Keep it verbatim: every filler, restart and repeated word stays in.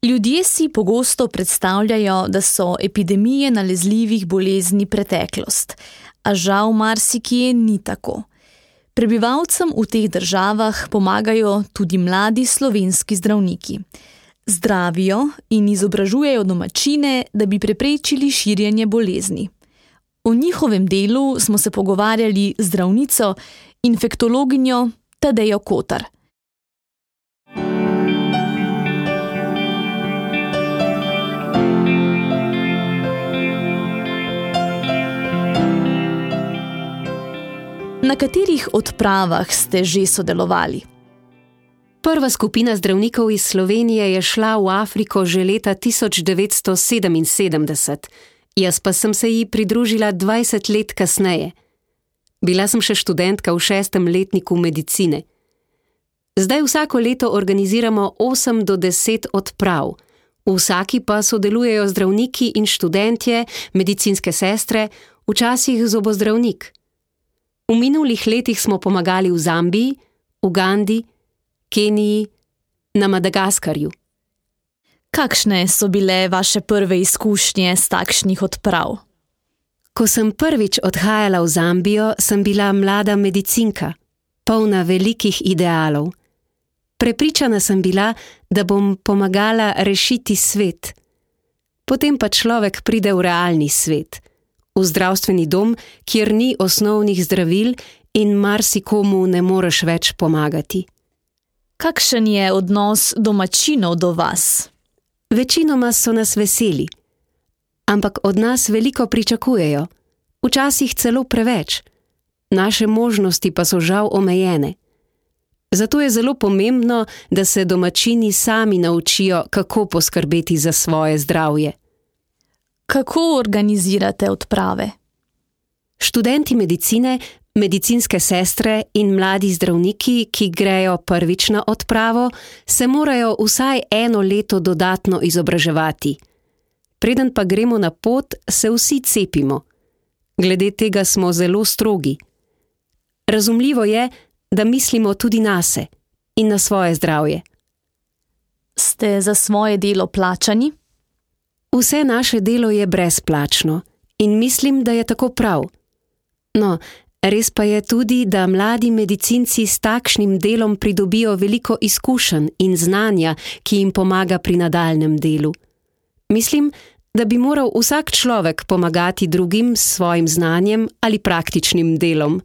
Ljudje si pogosto predstavljajo, da so epidemije nalezljivih bolezni preteklost, a žal marsikje ni tako. Prebivalcem v teh državah pomagajo tudi mladi slovenski zdravniki. Zdravijo in izobražujejo domačine, da bi preprečili širjenje bolezni. O njihovem delu smo se pogovarjali z zdravnico, infektologinjo Tadejo Kotar. Na katerih odpravah ste že sodelovali? Prva skupina zdravnikov iz Slovenije je šla v Afriko že leta tisoč devetsto sedeminsedemdeset, jaz pa sem se ji pridružila dvajset let kasneje. Bila sem še študentka v šestem letniku medicine. Zdaj vsako leto organiziramo osem do deset odprav. V vsaki pa sodelujejo zdravniki in študentje, medicinske sestre, včasih zobozdravnik. V minulih letih smo pomagali v Zambiji, Ugandi, Keniji, na Madagaskarju. Kakšne so bile vaše prve izkušnje s takšnih odprav? Ko sem prvič odhajala v Zambijo, sem bila mlada medicinka, polna velikih idealov. Prepričana sem bila, da bom pomagala rešiti svet. Potem pa človek pride v realni svet, v zdravstveni dom, kjer ni osnovnih zdravil in marsikomu ne moreš več pomagati. Kakšen je odnos domačinov do vas? Večinoma so nas veseli, ampak od nas veliko pričakujejo, včasih celo preveč. Naše možnosti pa so žal omejene. Zato je zelo pomembno, da se domačini sami naučijo, kako poskrbeti za svoje zdravje. Kako organizirate odprave? Študenti medicine, medicinske sestre in mladi zdravniki, ki grejo prvič na odpravo, se morajo vsaj eno leto dodatno izobraževati. Preden pa gremo na pot, se vsi cepimo. Glede tega smo zelo strogi. Razumljivo je, da mislimo tudi nase in na svoje zdravje. Ste za svoje delo plačani? Vse naše delo je brezplačno in mislim, da je tako prav. No, res pa je tudi, da mladi medicinci s takšnim delom pridobijo veliko izkušenj in znanja, ki jim pomaga pri nadaljnjem delu. Mislim, da bi moral vsak človek pomagati drugim s svojim znanjem ali praktičnim delom.